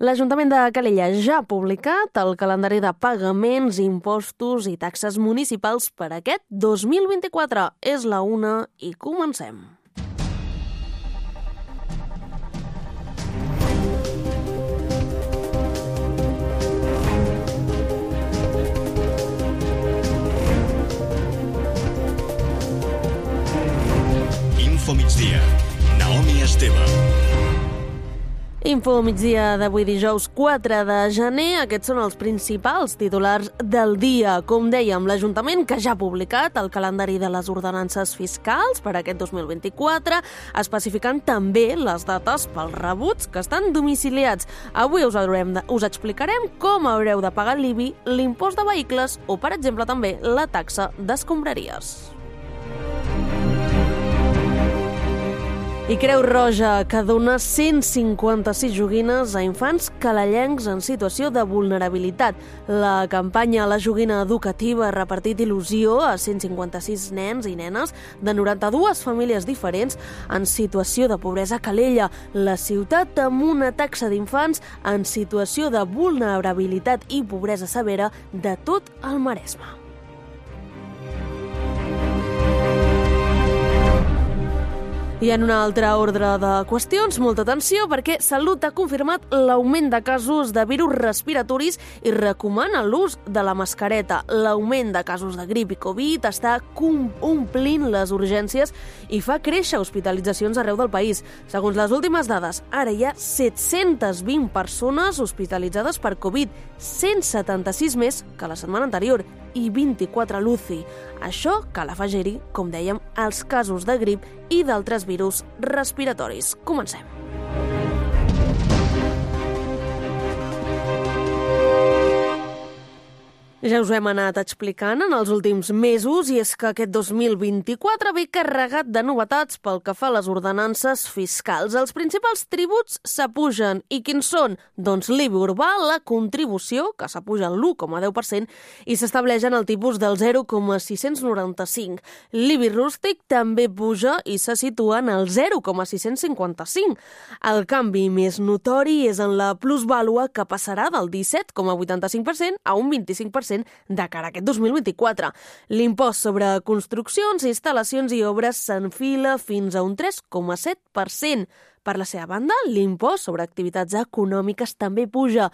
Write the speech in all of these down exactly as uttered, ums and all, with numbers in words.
L'Ajuntament de Calella ja ha publicat el calendari de pagaments, impostos i taxes municipals per aquest dos mil vint-i-quatre. És la una i comencem. Info migdia. Naomi Esteve. Info migdia d'avui dijous quatre de gener. Aquests són els principals titulars del dia. Com dèiem, l'Ajuntament que ja ha publicat el calendari de les ordenances fiscals per aquest dos mil vint-i-quatre, especificant també les dates pels rebuts que estan domiciliats. Avui us, haurem de, us explicarem com haureu de pagar l'I B I, l'impost de vehicles o, per exemple, també la taxa d'escombraries. I Creu Roja, que dona cent cinquanta-sis joguines a infants calellencs en situació de vulnerabilitat. La campanya La Joguina Educativa ha repartit il·lusió a cent cinquanta-sis nens i nenes de noranta-dues famílies diferents en situació de pobresa a Calella, la ciutat amb una taxa d'infants en situació de vulnerabilitat i pobresa severa de tot el Maresme. I en un altre ordre de qüestions, molta atenció, perquè Salut ha confirmat l'augment de casos de virus respiratoris i recomana l'ús de la mascareta. L'augment de casos de grip i Covid està omplint les urgències i fa créixer hospitalitzacions arreu del país. Segons les últimes dades, ara hi ha set-centes vint persones hospitalitzades per Covid, cent setanta-sis més que la setmana anterior i vint-i-quatre a l'U C I. Això cal afegir-hi, com dèiem, els casos de grip i d'altres virus respiratoris. Comencem. Ja us ho hem anat explicant en els últims mesos i és que aquest dos mil vint-i-quatre ve carregat de novetats pel que fa a les ordenances fiscals. Els principals tributs s'apugen. I quins són? Doncs l'I B I urbà, la contribució, que s'apuja l'u coma deu per cent i s'estableix en el tipus del zero coma sis-cents noranta-cinc. L'I B I rústic també puja i se situa en el zero coma sis-cents cinquanta-cinc. El canvi més notori és en la plusvàlua, que passarà del disset coma vuitanta-cinc per cent a un vint-i-cinc per cent de cara a aquest dos mil vint-i-quatre. L'impost sobre construccions, instal·lacions i obres s'enfila fins a un tres coma set per cent. Per la seva banda, l'impost sobre activitats econòmiques també puja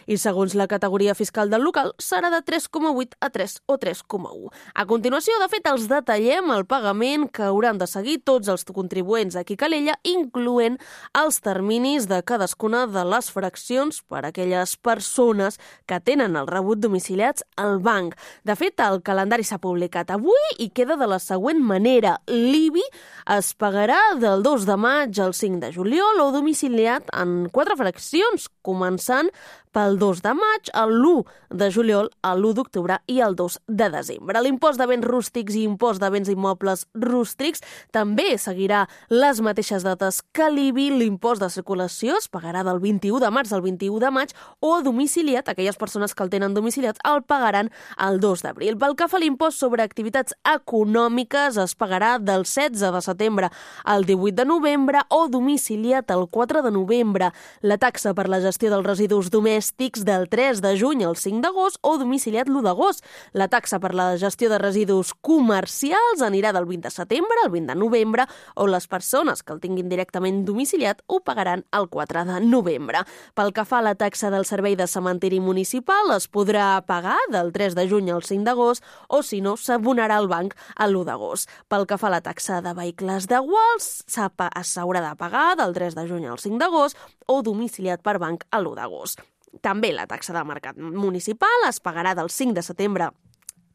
i, segons la categoria fiscal del local, serà de tres coma vuit a tres o tres coma u. A continuació, de fet, els detallem el pagament que hauran de seguir tots els contribuents aquí a Calella, incloent els terminis de cadascuna de les fraccions per a aquelles persones que tenen el rebut domiciliats al banc. De fet, el calendari s'ha publicat avui i queda de la següent manera. L'I B I es pagarà del dos de maig al cinc de juliol o domiciliat en quatre fraccions, començant pel dos de maig, l'u de juliol, l'u d'octubre i el dos de desembre. L'impost de béns rústics i impost de béns immobles rústics també seguirà les mateixes dates que l'I B I. L'impost de circulació es pagarà del vint-i-u de març al vint-i-u de maig o domiciliat, aquelles persones que el tenen domiciliat el pagaran el dos d'abril. Pel que fa a l'impost sobre activitats econòmiques, es pagarà del setze de setembre al divuit de novembre o domiciliat el quatre de novembre. La taxa per la gestió dels residus domèstics del tres de juny al cinc d'agost o domiciliat l'u d'agost. La taxa per la gestió de residus comercials anirà del vint de setembre al vint de novembre o les persones que el tinguin directament domiciliat ho pagaran el quatre de novembre. Pel que fa a la taxa del servei de cementiri municipal, es podrà pagar del tres de juny al cinc d'agost o, si no, s'abonarà al banc a l'u d'agost. Pel que fa a la taxa de vehicles de guals, s'haurà de pagar del tres de juny al cinc d'agost o domiciliat per banc a l'u d'agost. També la taxa de mercat municipal es pagarà del cinc de setembre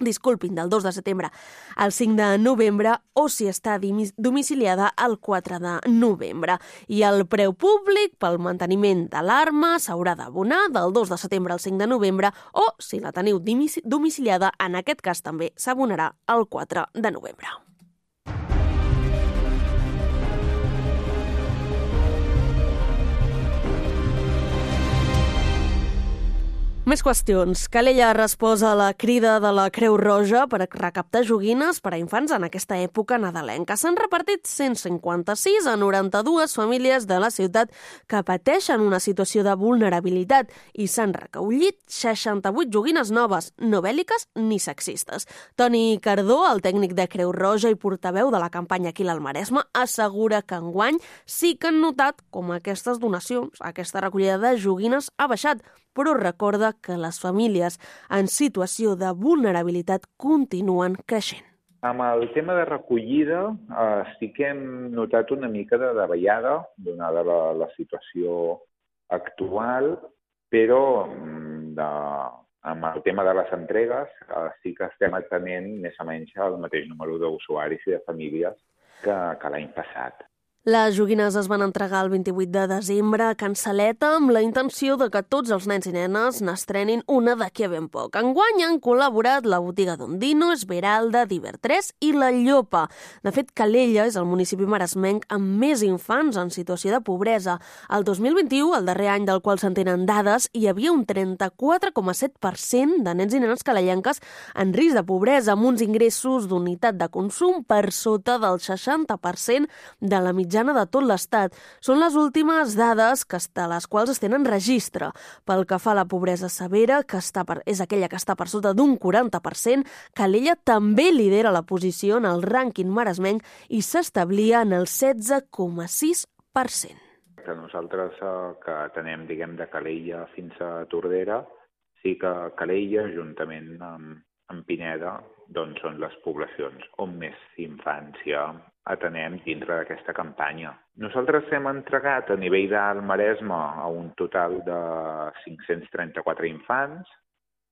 Disculpin, del dos de setembre al cinc de novembre o si està domiciliada el quatre de novembre. I el preu públic pel manteniment d'alarma s'haurà d'abonar del dos de setembre al cinc de novembre o, si la teniu domiciliada, en aquest cas també s'abonarà el quatre de novembre. Més qüestions. Calella ha respost a la crida de la Creu Roja per recaptar joguines per a infants en aquesta època nadalenca. S'han repartit cent cinquanta-sis a noranta-dues famílies de la ciutat que pateixen una situació de vulnerabilitat i s'han recollit seixanta-vuit joguines noves, no bèl·liques ni sexistes. Toni Cardó, el tècnic de Creu Roja i portaveu de la campanya Aquí al Maresme, assegura que enguany sí que han notat com aquestes donacions, aquesta recollida de joguines ha baixat, però recorda que les famílies en situació de vulnerabilitat continuen creixent. Amb el tema de recollida eh, sí que hem notat una mica de davallada, donada la, la situació actual, però de, amb el tema de les entregues eh, sí que estem atenent més o menys el mateix número d'usuaris i de famílies que, que l'any passat. Les joguines es van entregar el vint-i-vuit de desembre a Can Saleta amb la intenció de que tots els nens i nenes n'estrenin una d'aquí a ben poc. Enguany han col·laborat la botiga d'Ondino, Esmeralda, Divertres i La Llopa. De fet, Calella és el municipi maresmenc amb més infants en situació de pobresa. El dos mil vint-i-u, el darrer any del qual se'n tenen dades, hi havia un trenta-quatre coma set per cent de nens i nenes calellenques en risc de pobresa, amb uns ingressos d'unitat de consum per sota del seixanta per cent de la mitjana de tot l'Estat. Són les últimes dades que a les quals es tenen registre. Pel que fa a la pobresa severa, que està per, és aquella que està per sota d'un quaranta per cent, Calella també lidera la posició en el rànquing maresmenc i s'establia en el setze coma sis per cent. Nosaltres eh, que atenem, diguem, de Calella fins a Tordera, sí que Calella, juntament amb, amb Pineda, doncs són les poblacions on més infància atenem dintre d'aquesta campanya. Nosaltres hem entregat a nivell del Maresme a un total de cinc-cents trenta-quatre infants,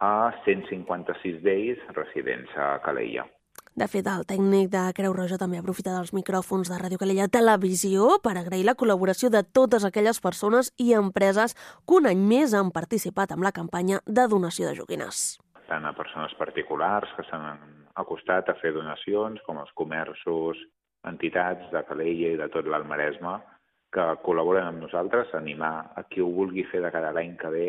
a cent cinquanta-sis d'ells residents a Calella. De fet, el tècnic de Creu Roja també aprofita dels micròfons de Ràdio Calella Televisió per agrair la col·laboració de totes aquelles persones i empreses que un any més han participat en la campanya de donació de joguines. Tant a persones particulars que s'han acostat a fer donacions, com els comerços, entitats de Calella i de tot l'Alt Maresme que col·laboren amb nosaltres, animar a qui ho vulgui fer de cada l'any que ve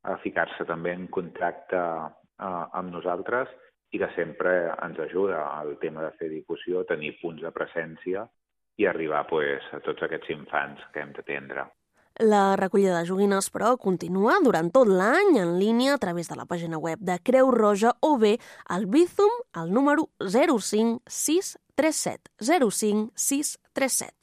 a ficar-se també en contacte eh, amb nosaltres i que sempre ens ajuda al tema de fer difusió, tenir punts de presència i arribar pues, a tots aquests infants que hem d'atendre. La recollida de joguines, però, continua durant tot l'any en línia a través de la pàgina web de Creu Roja o bé al Bizum al número zero cinc sis tres set zero cinc sis tres set.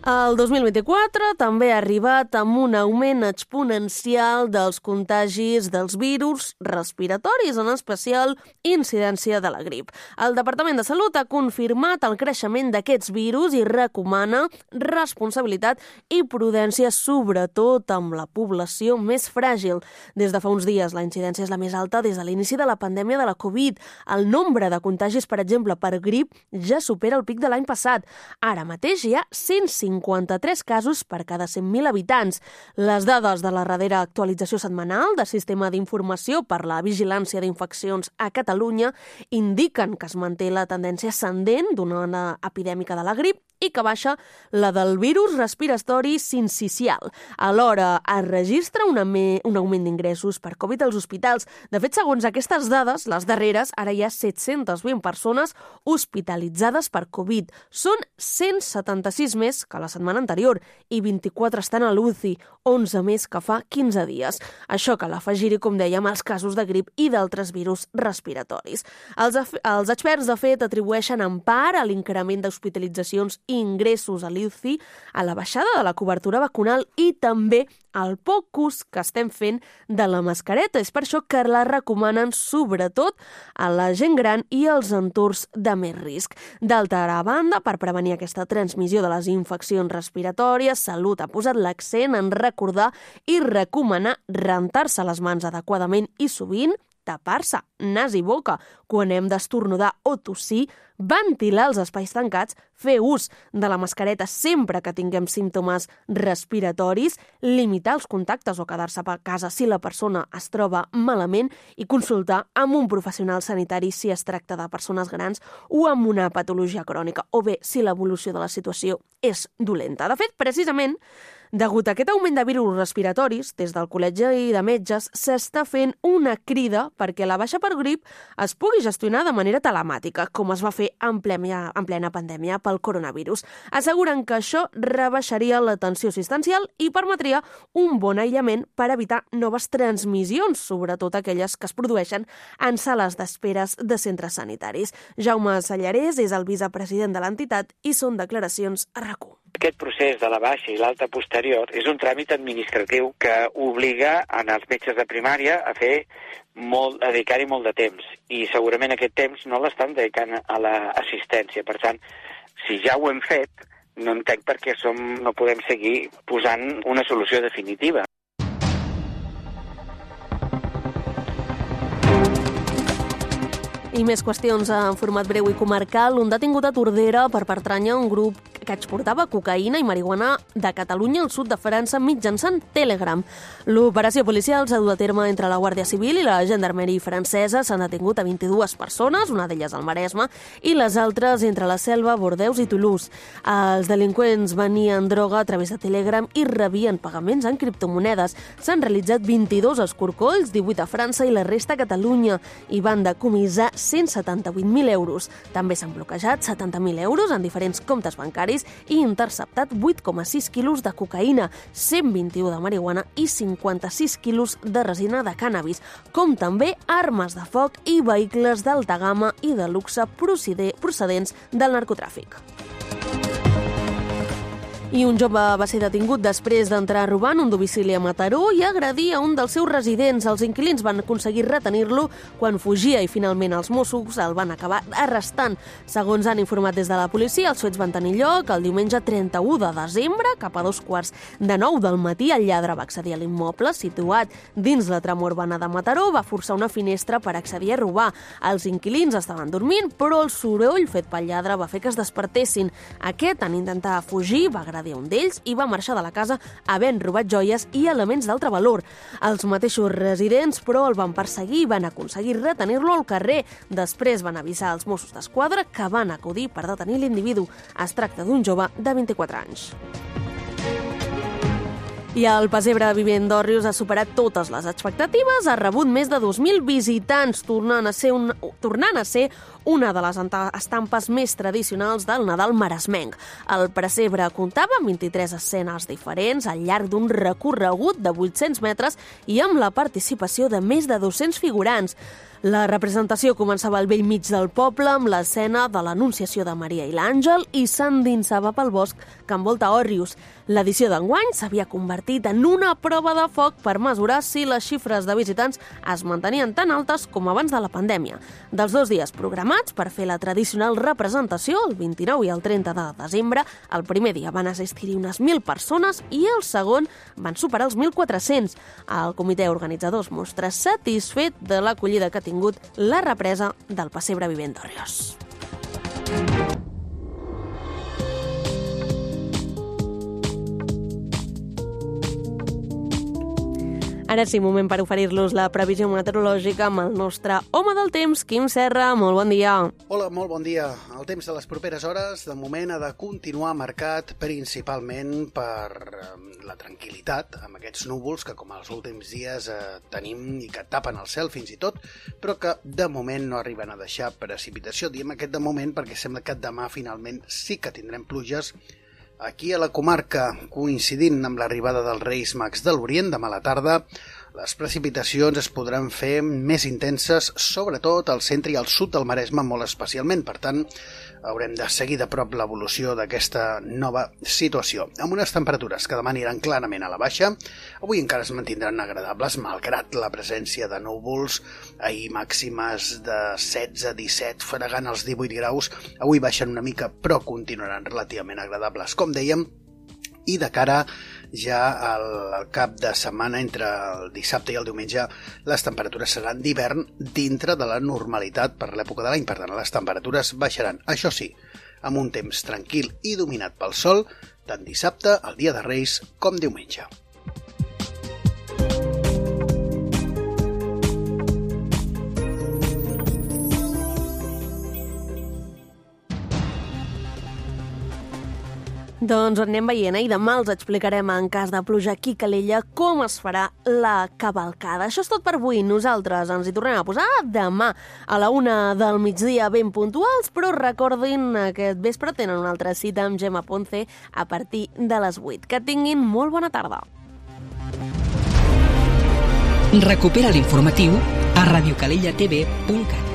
El dos mil vint-i-quatre també ha arribat amb un augment exponencial dels contagis dels virus respiratoris, en especial incidència de la grip. El Departament de Salut ha confirmat el creixement d'aquests virus i recomana responsabilitat i prudència, sobretot amb la població més fràgil. Des de fa uns dies, la incidència és la més alta des de l'inici de la pandèmia de la Covid. El nombre de contagis, per exemple, per grip ja supera el pic de l'any passat. Ara mateix hi ha cent cinquanta-tres casos per cada cent mil habitants. Les dades de la darrera actualització setmanal del Sistema d'Informació per la Vigilància d'Infeccions a Catalunya indiquen que es manté la tendència ascendent d'una ona epidèmica de la grip i que baixa la del virus respiratori sincicial. Alhora, es registra un, un augment d'ingressos per Covid als hospitals. De fet, segons aquestes dades, les darreres, ara hi ha set-centes vint persones hospitalitzades per Covid. Són cent setanta-sis més que la setmana anterior i vint-i-quatre estan a l'U C I, onze més que fa quinze dies. Això cal afegir-hi, com dèiem, els casos de grip i d'altres virus respiratoris. Els, els experts, de fet, atribueixen en part a l'increment d'hospitalitzacions i ingressos a l'U C I, a la baixada de la cobertura vacunal i també al poc ús que estem fent de la mascareta. És per això que la recomanen sobretot a la gent gran i als entorns de més risc. D'altra banda, per prevenir aquesta transmissió de les infeccions respiratòries, Salut ha posat l'accent en recordar i recomanar rentar-se les mans adequadament i sovint tapar-se nas i boca quan hem d'estornudar o tossir ventilar els espais tancats, fer ús de la mascareta sempre que tinguem símptomes respiratoris, limitar els contactes o quedar-se a casa si la persona es troba malament i consultar amb un professional sanitari si es tracta de persones grans o amb una patologia crònica, o bé si l'evolució de la situació és dolenta. De fet, precisament, degut a aquest augment de virus respiratoris, des del Col·legi de Metges s'està fent una crida perquè la baixa per grip es pugui gestionar de manera telemàtica, com es va fer en plena, en plena pandèmia pel coronavirus. Asseguren que això rebaixaria la tensió assistencial i permetria un bon aïllament per evitar noves transmissions, sobretot aquelles que es produeixen en sales d'esperes de centres sanitaris. Jaume Sallarès és el vicepresident de l'entitat i són declaracions a RAC u. Aquest procés de la baixa i l'alta posterior és un tràmit administratiu que obliga als metges de primària a fer molt, a dedicar-hi molt de temps, i segurament aquest temps no l'estan dedicant a l'assistència. Per tant, si ja ho hem fet, no entenc per què som, no podem seguir posant una solució definitiva. I més qüestions en format breu i comarcal. Un detingut a Tordera per pertànyer a un grup que exportava cocaïna i marihuana de Catalunya al sud de França mitjançant Telegram. L'operació policial s'ha dut a terme entre la Guàrdia Civil i la Gendarmeria francesa. S'han detingut a vint-i-dues persones, una d'elles al Maresme, i les altres entre la Selva, Bordeus i Toulouse. Els delinqüents venien droga a través de Telegram i rebien pagaments en criptomonedes. S'han realitzat vint-i-dos escorcolls, divuit a França i la resta a Catalunya, i van decomissar cent setanta-vuit mil euros. També s'han bloquejat setanta mil euros en diferents comptes bancaris i interceptat vuit coma sis quilos de cocaïna, cent vint-i-u de marihuana i cinquanta-sis quilos de resina de cànnabis, com també armes de foc i vehicles d'alta gamma i de luxe procedents del narcotràfic. I un jove va ser detingut després d'entrar a robar en un domicili a Mataró i agredir a un dels seus residents. Els inquilins van aconseguir retenir-lo quan fugia i finalment els Mossos el van acabar arrestant. Segons han informat des de la policia, els fets van tenir lloc el diumenge trenta-u de desembre, cap a dos quarts de nou del matí. El lladre va accedir a l'immoble situat dins la trama urbana de Mataró, va forçar una finestra per accedir a robar. Els inquilins estaven dormint, però el soroll fet pel lladre va fer que es despertessin. Aquest, en intentar fugir, va agredir un d'ells i va marxar de la casa havent robat joies i elements d'altre valor. Els mateixos residents, però, el van perseguir i van aconseguir retenir-lo al carrer. Després van avisar als Mossos d'Esquadra, que van acudir per detenir l'individu. Es tracta d'un jove de vint-i-quatre anys. I el Pessebre Vivent d'Òrrius ha superat totes les expectatives, ha rebut més de dos mil visitants, tornant a ser, un, tornant a ser una de les estampes més tradicionals del Nadal maresmenc. El pessebre comptava amb vint-i-tres escenes diferents al llarg d'un recorregut de vuit-cents metres i amb la participació de més de dos-cents figurants. La representació començava al bell mig del poble amb l'escena de l'Anunciació de Maria i l'Àngel i s'endinsava pel bosc que envolta Òrrius. L'edició d'enguany s'havia convertit en una prova de foc per mesurar si les xifres de visitants es mantenien tan altes com abans de la pandèmia. Dels dos dies programats per fer la tradicional representació, el vint-i-nou i el trenta de desembre, el primer dia van assistir-hi unes mil persones i el segon van superar els mil quatre-cents. El comitè organitzador es mostra satisfet de l'acollida que ha tingut la represa del Pessebre Vivent d'Òrrius. Ara sí, moment per oferir-los la previsió meteorològica amb el nostre home del temps, Quim Serra. Molt bon dia. Hola, molt bon dia. El temps de les properes hores, de moment, ha de continuar marcat principalment per la tranquil·litat, amb aquests núvols que, com els últims dies, eh, tenim i que tapen el cel fins i tot, però que, de moment, no arriben a deixar precipitació. Diem aquest de moment perquè sembla que demà, finalment, sí que tindrem pluges aquí a la comarca, coincidint amb l'arribada dels Reis Mags de l'Orient demà a la tarda. Les precipitacions es podran fer més intenses, sobretot al centre i al sud del Maresme molt especialment. Per tant, haurem de seguir de prop l'evolució d'aquesta nova situació. Amb unes temperatures que demà aniran clarament a la baixa, avui encara es mantindran agradables, malgrat la presència de núvols. Ahir màximes de setze a disset, fregant els divuit graus. Avui baixen una mica, però continuaran relativament agradables, com dèiem. I de cara ja al, al cap de setmana, entre el dissabte i el diumenge, les temperatures seran d'hivern dintre de la normalitat per l'època de l'any. Per tant, les temperatures baixaran, això sí, amb un temps tranquil i dominat pel sol, tant dissabte, el dia de Reis, com diumenge. Doncs ho anem veient, eh? I demà els explicarem en cas de pluja aquí a Calella com es farà la cavalcada. Això és tot per avui. Nosaltres ens hi tornem a posar demà a la una del migdia ben puntuals, però recordin que aquest vespre tenen una altra cita amb Gemma Ponce a partir de les vuit. Que tinguin molt bona tarda. Recupera l'informatiu a radiocalellatv punt cat.